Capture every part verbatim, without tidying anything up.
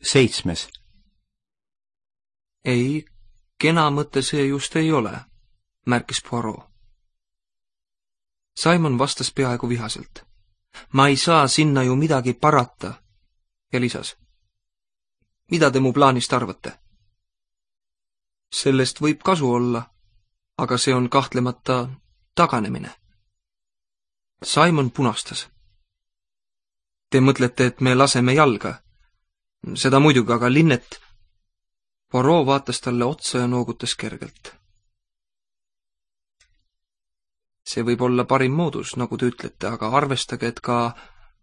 Seitsmes. Ei, kena mõte see just ei ole, märkis Poirot. Simon vastas peaaegu vihaselt. Ma ei saa sinna ju midagi parata, ja lisas. Mida te mu plaanist arvate? Sellest võib kasu olla, aga see on kahtlemata taganemine. Simon punastas. Te mõtlete, et me laseme jalga? Seda muidugi, aga Linnet... Poirot vaatas talle otsa ja noogutas kergelt. See võib olla parim moodus, nagu te ütlete, aga arvestage, et ka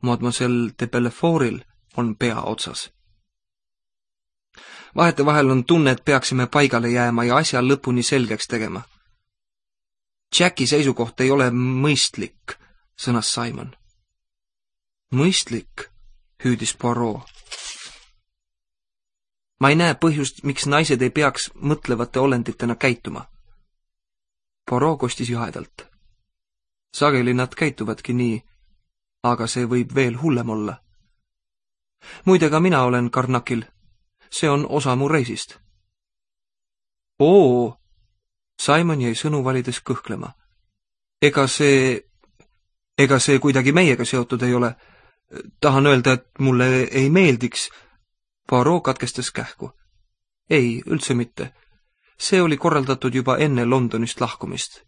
Mademoiselle de Bellefortil on pea otsas. Vahetevahel on tunne, et peaksime paigale jääma ja asja lõpuni selgeks tegema. Jacki seisukoht ei ole mõistlik, sõnas Simon. Mõistlik, hüüdis Poirot. Ma ei näe põhjust, miks naised ei peaks mõtlevate olenditena käituma. Poirot kostis jahedalt. Sageli nad käituvadki nii, aga see võib veel hullem olla. Muide, ka mina olen Karnakil. See on osa mu reisist. Oo, Simon jäi sõnu valides kõhklema. Ega see, ega see kuidagi meiega seotud ei ole. Tahan öelda, et mulle ei meeldiks. Poirot katkestas kähku. Ei, üldse mitte. See oli korraldatud juba enne Londonist lahkumist.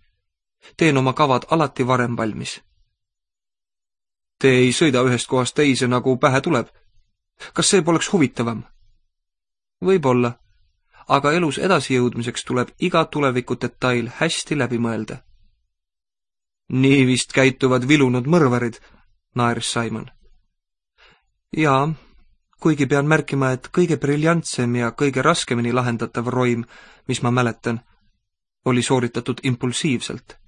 Teen oma kavad alati varem valmis. Te ei sõida ühest kohast teise, nagu pähe tuleb. Kas see poleks huvitavam? Võib-olla, aga elus edasijõudmiseks tuleb iga tuleviku detail hästi läbi mõelda. Nii vist käituvad vilunud mõrvarid, naeris Simon. Jaa, kuigi pean märkima, et kõige briljantsem ja kõige raskemini lahendatav roim, mis ma mäletan, oli sooritatud impulsiivselt.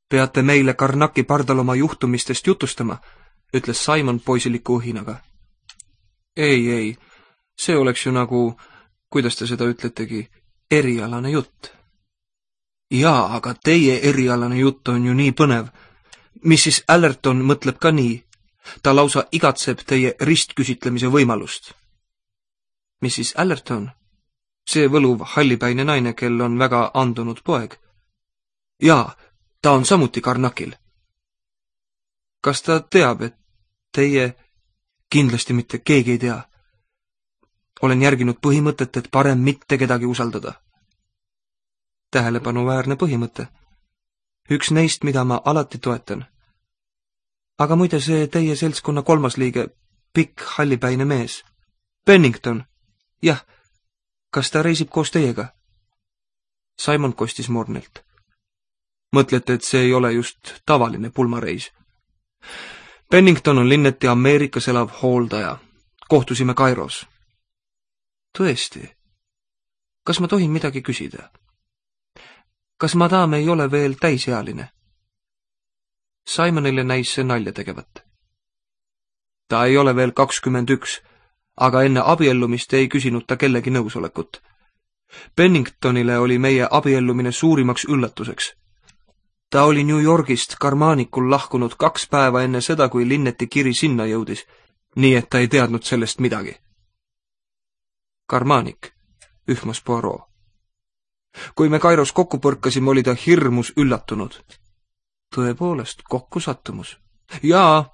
Peate meile Karnaki pardal oma juhtumistest jutustama, ütles Simon poisiliku õhinaga. Ei, ei, see oleks ju nagu, kuidas te seda ütletegi, erialane jutt. Jaa, aga teie erialane jutt on ju nii põnev. missis Allerton mõtleb ka nii. Ta lausa igatseb teie ristküsitlemise võimalust. missis Allerton? See võluv hallipäine naine, kel on väga andunud poeg. Jaa, ta on samuti Karnakil. Kas ta teab, et teie, kindlasti mitte keegi ei tea. Olen järginud põhimõtet, et parem mitte kedagi usaldada. Tähelepanuväärne põhimõte. Üks neist, mida ma alati toetan. Aga muide see teie seltskonna kolmas liige, pikk hallipäine mees. Pennington. Jah, kas ta reisib koos teiega? Simon kostis mornilt. Mõtlete, et see ei ole just tavaline pulmareis? Pennington on Linneti Ameerikas elav hooldaja. Kohtusime Kairos. Tõesti. Kas ma tohin midagi küsida? Kas madam ei ole veel täisealine? Simonile näis see nalja tegevat. Ta ei ole veel kakskümmend üks, aga enne abiellumist ei küsinud ta kellegi nõusolekut. Penningtonile oli meie abiellumine suurimaks üllatuseks. Ta oli New Yorgist Karmaanikul lahkunud kaks päeva enne seda, kui Linneti kiri sinna jõudis, nii et ta ei teadnud sellest midagi. Karmaanik, ühmas Poirot. Kui me Kairos kokku põrkasime, oli ta hirmus üllatunud. Tõepoolest, kokkusattumus. Jaa,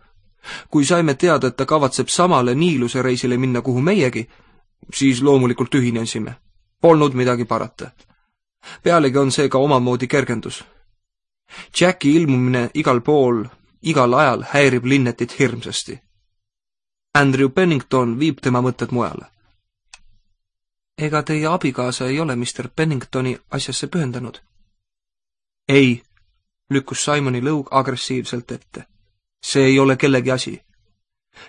kui saime teada, et ta kavatseb samale Niiluse reisile minna, kuhu meiegi, siis loomulikult ühinesime. Polnud midagi parata. Pealegi on see ka omamoodi kergendus. Jacki ilmumine igal pool, igal ajal häirib Linnetit hirmsasti. Andrew Pennington viib tema mõtted mujale. Ega teie abikaasa ei ole mister Penningtoni asjasse pühendanud? Ei, lükkus Simoni lõug agressiivselt ette. See ei ole kellegi asi.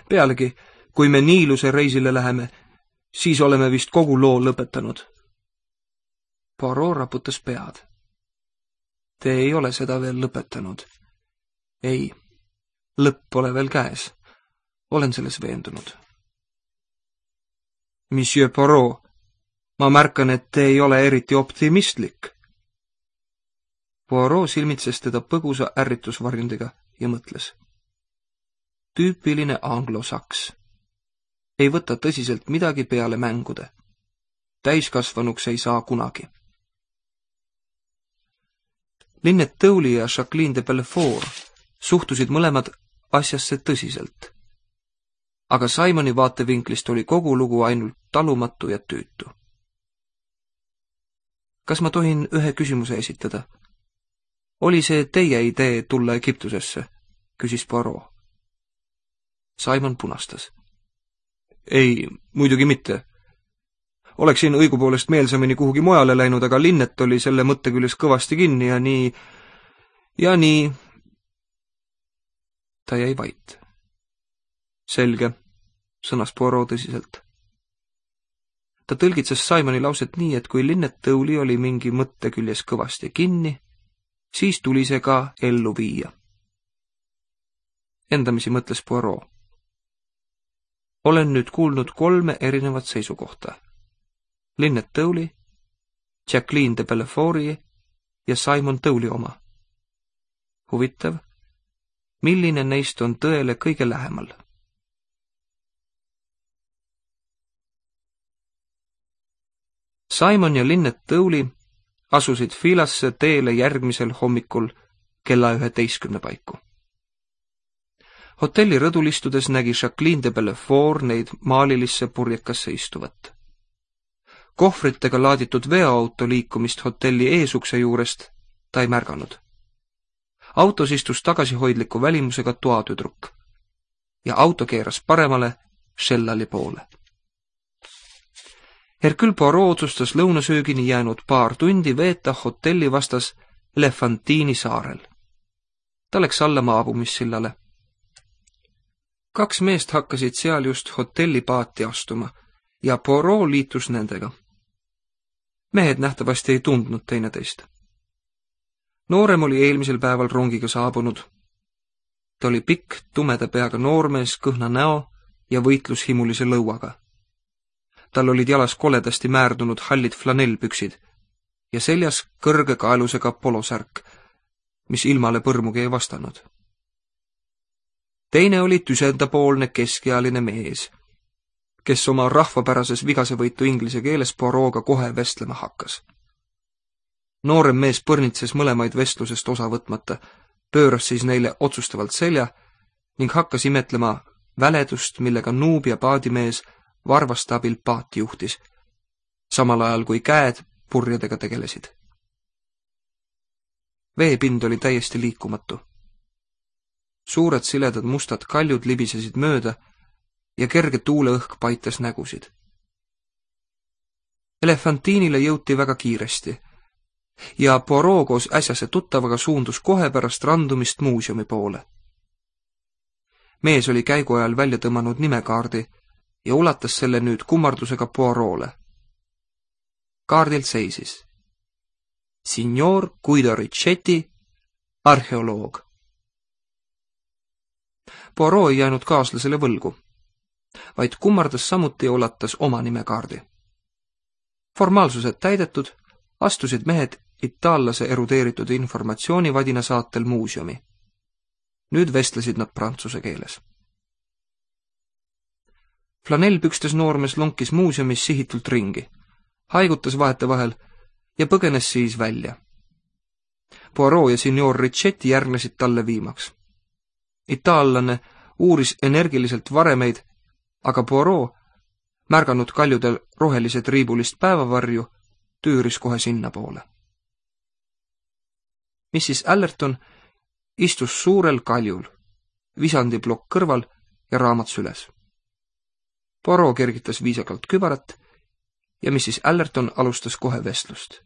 Pealegi, kui me Niiluse reisile läheme, siis oleme vist kogu loo lõpetanud. Poirot raputas pead. Te ei ole seda veel lõpetanud. Ei, lõpp pole veel käes. Olen selles veendunud. Monsieur Poirot, ma märkan, et te ei ole eriti optimistlik. Poirot silmitses teda põgusa ärritusvarjundiga ja mõtles. Tüüpiline anglosaks. ei võta tõsiselt midagi peale mängude. Täiskasvanuks ei saa kunagi. Linnet Tõuli ja Jacqueline de Belfort suhtusid mõlemad asjasse tõsiselt. Aga Simoni vaatevinklist oli kogu lugu ainult talumatu ja tüütu. Kas ma tohin ühe küsimuse esitada? Oli see teie idee tulla Egiptusesse? Küsis Poirot. Simon punastas. Ei, muidugi mitte. Oleksin õigupoolest meelsamini kuhugi mujale läinud, aga Linnet oli selle mõtte küljes kõvasti kinni ja nii... ja nii... Ta jäi vait. Selge, sõnas Poirot tõsiselt. Ta tõlgitses Simoni lauset nii, et kui Linnet Tõuli oli mingi mõtte küljes kõvasti kinni, siis tuli see ka ellu viia. Endamisi mõtles Poirot. Olen nüüd kuulnud kolme erinevat seisukohta. Linnet Tõuli, Jacqueline de Belforti ja Simon Tõuli oma. Huvitav, milline neist on tõele kõige lähemal? Simon ja Linnet Tõuli asusid Filasse teele järgmisel hommikul kella üheteistkümne paiku. Hotelli rõdul istudes nägi Jacqueline de Belfort neid maalilisse purjekasse istuvat. Kohvritega laaditud veoauto liikumist hotelli eesukse juurest ta ei märganud. Autos istus tagasihoidliku välimusega toatüdruk ja auto keeras paremale Shellali poole. Hercule Poirot otsustas lõunasöögini jäänud paar tundi veeta hotelli vastas Elefantiini saarel. Ta läks alla maabumissillale. Kaks meest hakkasid seal just hotelli paati astuma ja Poirot liitus nendega. Mehed nähtavasti ei tundnud teineteist. Noorem oli eelmisel päeval rongiga saabunud. Ta oli pikk, tumeda peaga noormees, kõhna näo ja võitlushimulise lõuaga. Tal olid jalas koledasti määrdunud hallid flanellpüksid ja seljas kõrge kaelusega polosärk, mis ilmale põrmugi ei vastanud. Teine oli tüsendapoolne keskealine mees, kes oma rahvapärases vigasevõitu inglise keeles Poirot'ga kohe vestlema hakkas. Noorem mees põrnitses mõlemaid vestlusest osa võtmata, pööras siis neile otsustavalt selja ning hakkas imetlema väledust, millega nuub ja paadimees varvaste abil paati juhtis, samal ajal kui käed purjedega tegelesid. Veepind oli täiesti liikumatu. Suured siledad mustad kaljud libisesid mööda ja kerge tuuleõhk paitas nägusid. Elefantiinile jõuti väga kiiresti ja Poirot koos äsjase tuttavaga suundus kohe pärast randumist muuseumi poole. Mees oli käigu ajal välja tõmmanud nimekaardi ja ulatas selle nüüd kummardusega Poirot'le. Kaardilt seisis Signor Guido Richetti, arheoloog. Poirot ei jäänud kaaslasele võlgu, vaid kummardas samuti ja ulatas oma nimekaardi. Formaalsused täidetud, astusid mehed itaallase erudeeritud informatsioonivadina saatel muuseumi. Nüüd vestlesid nad prantsuse keeles. Flanellpükstes noormees lonkis muuseumis sihitult ringi, haigutas vahetevahel ja põgenes siis välja. Poirot ja signor Richetti järgnesid talle viimaks. Itaallane uuris energiliselt varemeid, aga Poirot, märganud kaljudel rohelised riibulist päevavarju, tüüris kohe sinna poole. missis Allerton istus suurel kaljul, visandiplokk kõrval ja raamat süles. Poirot kergitas viisakalt kübarat ja missis Allerton alustas kohe vestlust.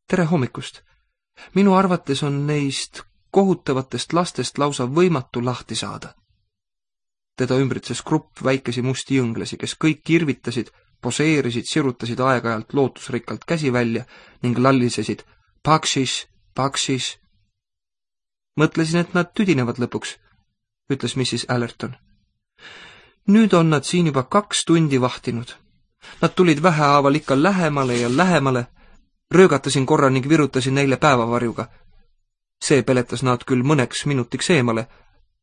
Tere hommikust! Minu arvates on neist kohutavatest lastest lausa võimatu lahti saada. Teda ümbritses grupp väikesi musti jõnglasi, kes kõik kirvitasid, poseerisid, sirutasid aeg-ajalt lootusrikkalt käsi välja ning lallisesid paksis, paksis. Mõtlesin, et nad tüdinevad lõpuks, ütles missis Allerton. Nüüd on nad siin juba kaks tundi vahtinud. Nad tulid vähehaaval ikka lähemale ja lähemale, röögatasin korra ning virutasin neile päevavarjuga. See peletas nad küll mõneks minutiks eemale,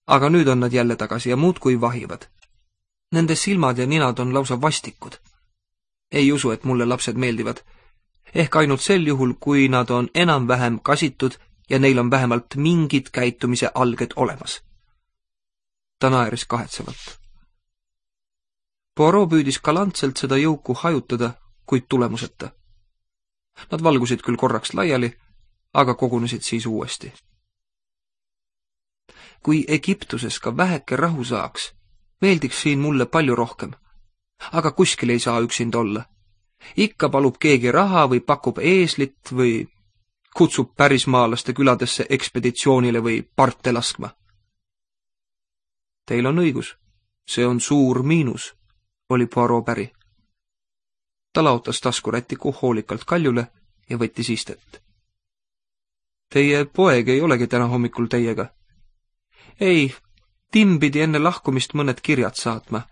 aga nüüd on nad jälle tagasi ja muudkui vahivad. Nende silmad ja ninad on lausa vastikud. Ei usu, et mulle lapsed meeldivad. Ehk ainult sel juhul, kui nad on enam-vähem kasitud ja neil on vähemalt mingid käitumise alged olemas. Ta naeris kahetsevalt. Poirot püüdis galantselt seda jõuku hajutada, kuid tulemuseta. Nad valgusid küll korraks laiali, aga kogunesid siis uuesti. Kui Egiptuses ka väheke rahu saaks, meeldiks siin mulle palju rohkem. Aga kuskil ei saa üksinda olla. Ikka palub keegi raha või pakub eeslit või kutsub pärismaalaste küladesse ekspeditsioonile või parte laskma. Teil on õigus, see on suur miinus, oli Poirot päri. Ta laotas taskurätiku hoolikalt kaljule ja võttis istet. Teie poeg ei olegi täna hommikul teiega. Ei, Tim pidi enne lahkumist mõned kirjad saatma.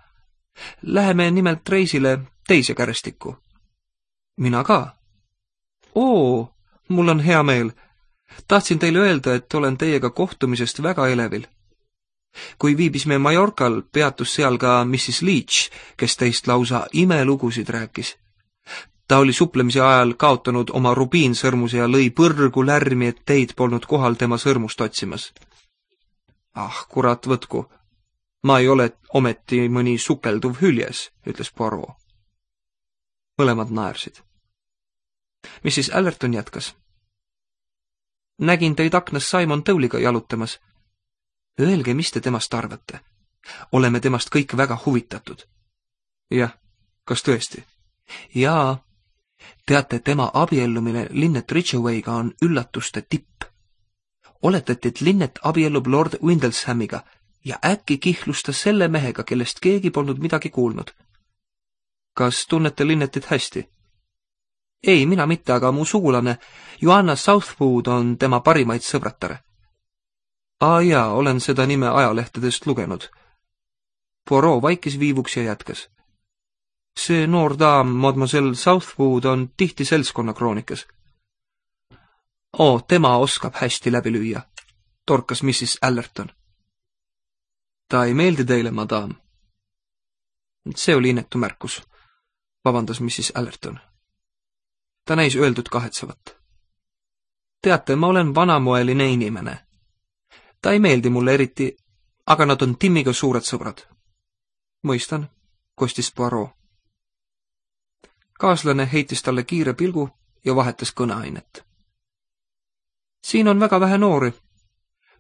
Läheme nimelt reisile teise kärestikku. Mina ka. Oo, mul on hea meel. Tahtsin teile öelda, et olen teiega kohtumisest väga elevil. Kui viibisime Mallorcal, peatus seal ka missis Leach, kes teist lausa imelugusid rääkis. Ta oli suplemise ajal kaotanud oma rubiinsõrmuse ja lõi põrgu lärmi, et teid polnud kohal tema sõrmust otsimas. Ah, kurat võtku. Ma ei ole ometi mõni sukelduv hüljes, ütles Poirot. Mõlemad naersid. missis Allerton jätkas. Nägin teid aknas Simon Towliga jalutamas. Öelge, mis te temast arvate. Oleme temast kõik väga huvitatud. Jah, kas tõesti? Jaa. Teate, tema abiellumine Lynette Ridgewayga on üllatuste tipp. Oletati, et Lynette abiellub Lord Windleshamiga ja äkki kihlus ta selle mehega, kellest keegi polnud midagi kuulnud. Kas tunnete Lynettit hästi? Ei, mina mitte, aga mu sugulane Joanna Southwood on tema parimaid sõbratare. Aa jaa, olen seda nime ajalehtedest lugenud. Poirot vaikis viivuks ja jätkas. See noor daam, mademoiselle Southwood, on tihti seltskonna kroonikas. Oo, tema oskab hästi läbi lüüa, torkas missis Allerton. Ta ei meeldi teile, madam. See oli inetu märkus, vabandas missis Allerton. Ta näis öeldud kahetsevat. Teate, ma olen vanamoeline inimene. Ta ei meeldi mulle eriti, aga nad on Timiga suured sõbrad. Mõistan, kostis Poirot. Kaaslane heitis talle kiire pilgu ja vahetas kõneainet. Siin on väga vähe noori.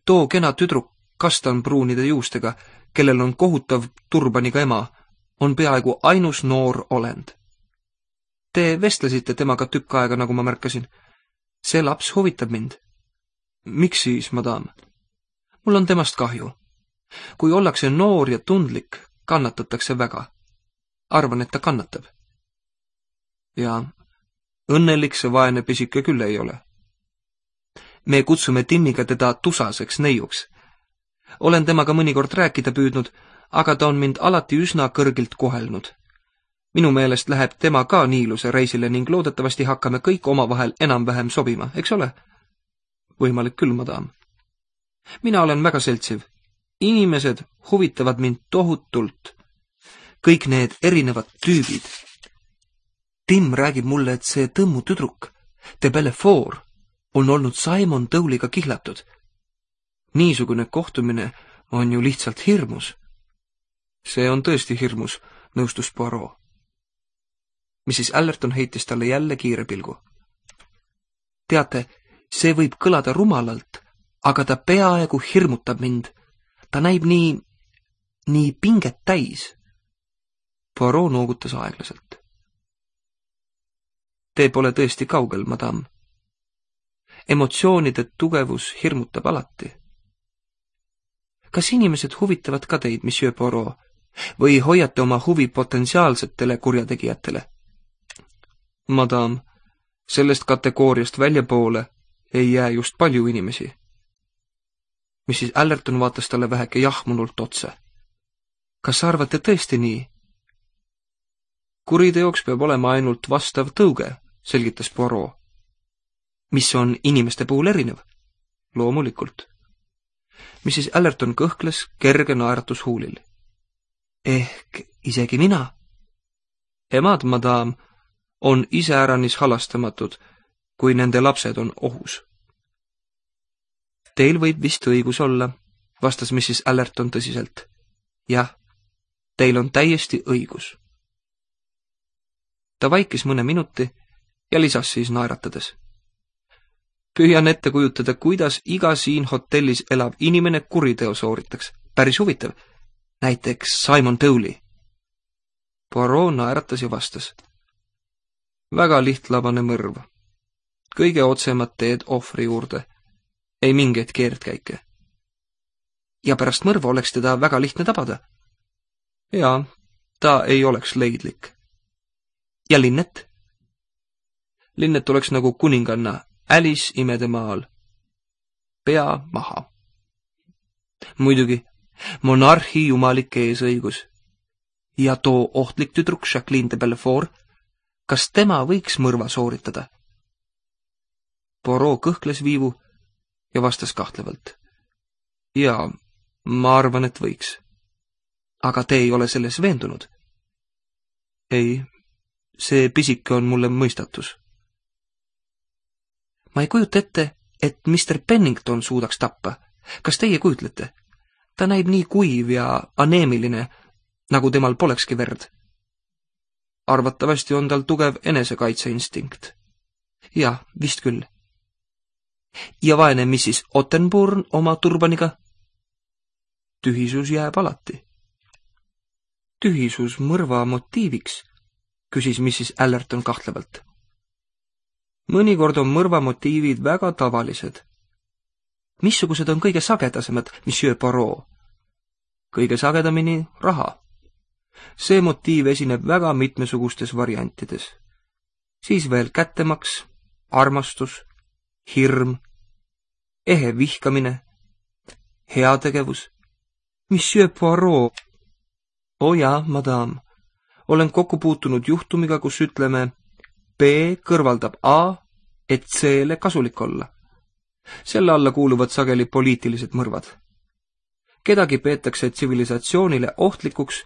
Too kena tüdruk kastanpruunide juustega, kellel on kohutav turbaniga ema, on peaaegu ainus noor olend. Te vestlesite temaga tükk aega, nagu ma märkasin. See laps huvitab mind. Miks siis, madam? Mul on temast kahju. Kui ollakse noor ja tundlik, kannatatakse väga. Arvan, et ta kannatab. Ja õnnelik see vaene pisike küll ei ole. Me kutsume Timiga teda tusaseks neiuks. Olen temaga mõnikord rääkida püüdnud, aga ta on mind alati üsna kõrgilt kohelnud. Minu meelest läheb tema ka niiluse reisile ning loodetavasti hakkame kõik omavahel enam-vähem sobima, eks ole? Võimalik küll, madam. Mina olen väga seltsiv. Inimesed huvitavad mind tohutult. Kõik need erinevad tüübid. Tim räägib mulle, et see tõmmu tüdruk, de Belfort, on olnud Simon Towliga kihlatud. Niisugune kohtumine on ju lihtsalt hirmus. See on tõesti hirmus, nõustus Poirot. missis Allerton heitis talle jälle kiire pilgu. Teate, see võib kõlada rumalalt, aga ta peaaegu hirmutab mind. Ta näib nii, nii pinget täis. Poirot noogutas aeglaselt. Te pole tõesti kaugel, madam. Emotsioonide tugevus hirmutab alati. Kas inimesed huvitavad ka teid, monsieur Poirot, või hoiate oma huvi potentsiaalsetele kurjategijatele? Madam, sellest kategooriast väljapoole ei jää just palju inimesi. missis Allerton vaatas talle väheke jahmunult otse. Kas arvate tõesti nii? Kuriteoks peab olema ainult vastav tõuge, selgitas Poirot. Mis on inimeste puhul erinev? Loomulikult. missis Allerton kõhkles kerge naeratus huulil. ehk isegi mina. Emad, madam, on iseäranis halastamatud, kui nende lapsed on ohus. Teil võib vist õigus olla, vastas missis Allerton tõsiselt. Jah, teil on täiesti õigus. Ta vaikis mõne minuti ja lisas siis naeratades. Püüan ette kujutada, kuidas iga siin hotellis elav inimene kuriteo sooritaks. Päris huvitav. Näiteks Simon Tolley. Poirot naeratas ja vastas. Väga lihtlabane mõrv. Kõige otsemad teed ohvri juurde. Ei mingeid keerdkäike. Ja pärast mõrva oleks teda väga lihtne tabada. Jaa, ta ei oleks leidlik. Ja Linnet? Linnet oleks nagu kuninganna Alice imede maal. Pea maha. Muidugi, monarhi jumalik eesõigus. Ja too ohtlik tüdruk Jacqueline de Belfort, kas tema võiks mõrva sooritada? Poirot kõhkles viivu ja vastas kahtlevalt. Jaa, ma arvan, et võiks. Aga te ei ole selles veendunud? Ei, see pisike on mulle mõistatus. Ma ei kujuta ette, et mister Pennington suudaks tappa. Kas teie kujutlete? Ta näib nii kuiv ja aneemiline, nagu temal polekski verd. Arvatavasti on tal tugev enesekaitseinstinkt. Jah, vist küll. Ja vaene missis Ottenburn oma turbaniga? Tühisus jääb alati. Tühisus mõrva motiiviks, küsis missis Allerton kahtlevalt. Mõnikord on mõrva motiivid väga tavalised. Missugused on kõige sagedasemad, monsieur Poirot? Kõige sagedamini raha. See motiiv esineb väga mitmesugustes variantides. Siis veel kättemaks, armastus, hirm, ehe vihkamine, heategevus. Monsieur Poirot. O jaa, madam, olen kokku puutunud juhtumiga, kus ütleme B kõrvaldab A, et C-le kasulik olla. Selle alla kuuluvad sageli poliitilised mõrvad. Kedagi peetakse tsivilisatsioonile ohtlikuks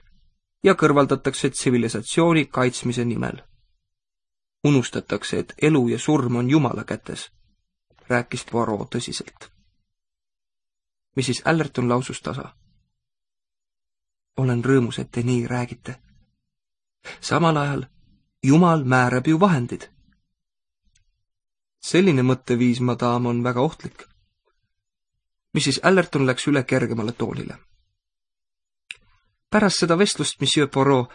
ja kõrvaldatakse tsivilisatsiooni kaitsmise nimel. Unustatakse, et elu ja surm on Jumala kätes, rääkis Poirot tõsiselt. missis Allerton lausus tasa. Olen rõõmus, et te nii räägite. Samal ajal Jumal määrab ju vahendid. Selline mõtteviis, madam, on väga ohtlik. missis Allerton läks üle kergemale toonile. Pärast seda vestlust, monsieur Poirot,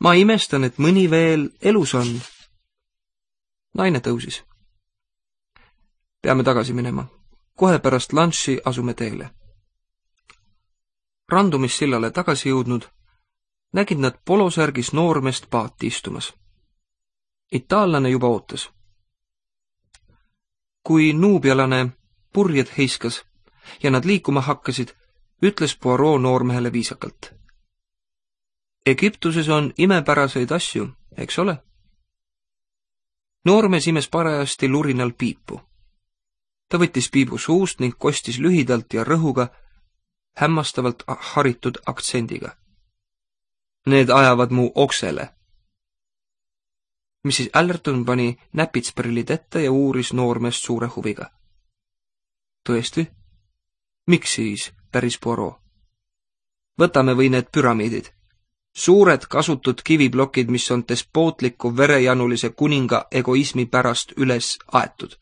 ma imestan, et mõni veel elus on. Naine tõusis. Peame tagasi minema. Kohe pärast lunchi asume teele. Randumissillale tagasi jõudnud, nägid nad polosärgis noormest paati istumas. Itaallane juba ootas. Kui nuubialane purjed heiskas ja nad liikuma hakkasid, ütles Poirot noormehele viisakalt. Egiptuses on imepäraseid asju, eks ole? Noormees imes parajasti lurinal piipu. Ta võttis piibu suust ning kostis lühidalt ja rõhuga, hämmastavalt haritud aktsendiga. Need ajavad mu oksele. missis Allerton pani näpitsprillid ette ja uuris noormeest suure huviga. Tõesti? Miks siis, päris Poirot? Võtame või need püramiidid. Suured kasutud kiviplokid, mis on despootliku verejanulise kuninga egoismi pärast üles aetud.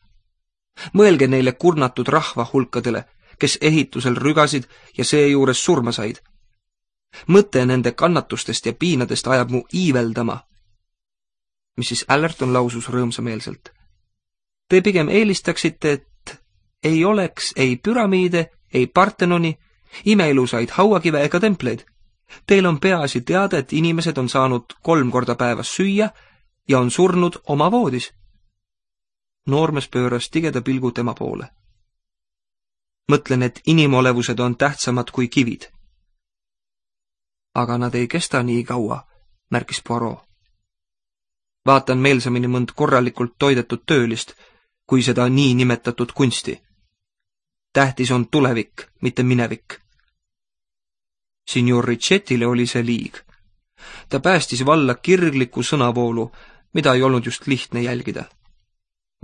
Mõelge neile kurnatud rahva hulkadele, kes ehitusel rügasid ja seejuures surma said. Mõte nende kannatustest ja piinadest ajab mu iiveldama. missis Allerton lausus rõõmsameelselt. Te pigem eelistaksite, et ei oleks ei püramiide, ei Partenoni, imeilusaid hauakive ega templeid. Teil on peaasi teada, et inimesed on saanud kolm korda päevas süüa ja on surnud oma voodis. Noormees pööras tigeda pilgu tema poole. Mõtlen, et inimolevused on tähtsamad kui kivid. Aga nad ei kesta nii kaua, märkis Poirot. Vaatan meelsamini mõnd korralikult toidetud töölist, kui seda nii nimetatud kunsti. Tähtis on tulevik, mitte minevik. Signor Ricchettile oli see liig. Ta päästis valla kirgliku sõnavoolu, mida ei olnud just lihtne jälgida.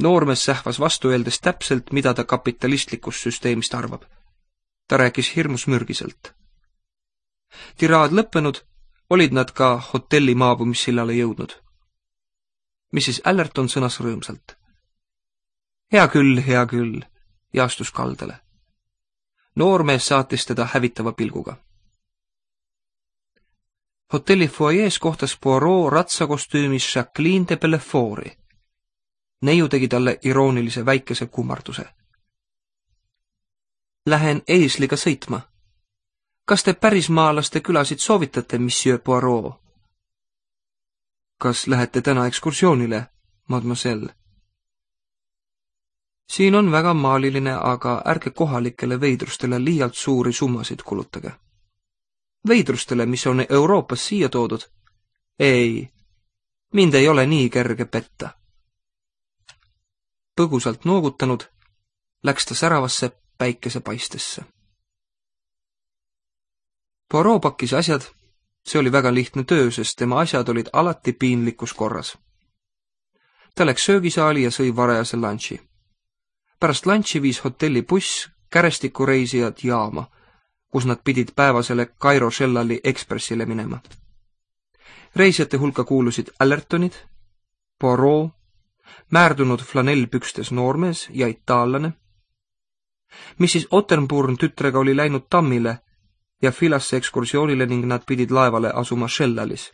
Noormees sähvas vastu öeldes täpselt, mida ta kapitalistlikust süsteemist arvab. Ta rääkis hirmus mürgiselt. Tiraad lõppenud, olid nad ka hotelli maabumissillale jõudnud. missis Allerton sõnas rõõmsalt. Hea küll, hea küll, ja astus kaldale. Noormees saatis teda hävitava pilguga. Hotelli foajees kohtas Poirot ratsakostüümis Jacqueline de Bellefort'i. Neiu tegi talle iroonilise väikese kummarduse. Lähen eesliga sõitma. Kas te pärismaalaste külasid soovitate, monsieur Poirot? Kas lähete täna ekskursioonile, mademoiselle? Siin on väga maaliline, aga ärge kohalikele veidrustele liialt suuri summasid kulutage. Veidrustele, mis on Euroopas siia toodud? Ei, mind ei ole nii kerge petta. Põgusalt noogutanud, läks ta säravasse päikesepaistesse. Poirot pakkis asjad, see oli väga lihtne töö, sest tema asjad olid alati piinlikus korras. Ta läks söögisaali ja sõi varajase lunchi. Pärast lunchi viis hotelli buss kärestikureisijad jaama, kus nad pidid päevasele Cairo Shellali ekspressile minema. Reisijate hulka kuulusid Allertonid, Poirot, määrdunud flanellpükstes noormees ja itaallane. missis Ottenburn tütrega oli läinud tammile ja Filasse ekskursioonile ning nad pidid laevale asuma Shellalis.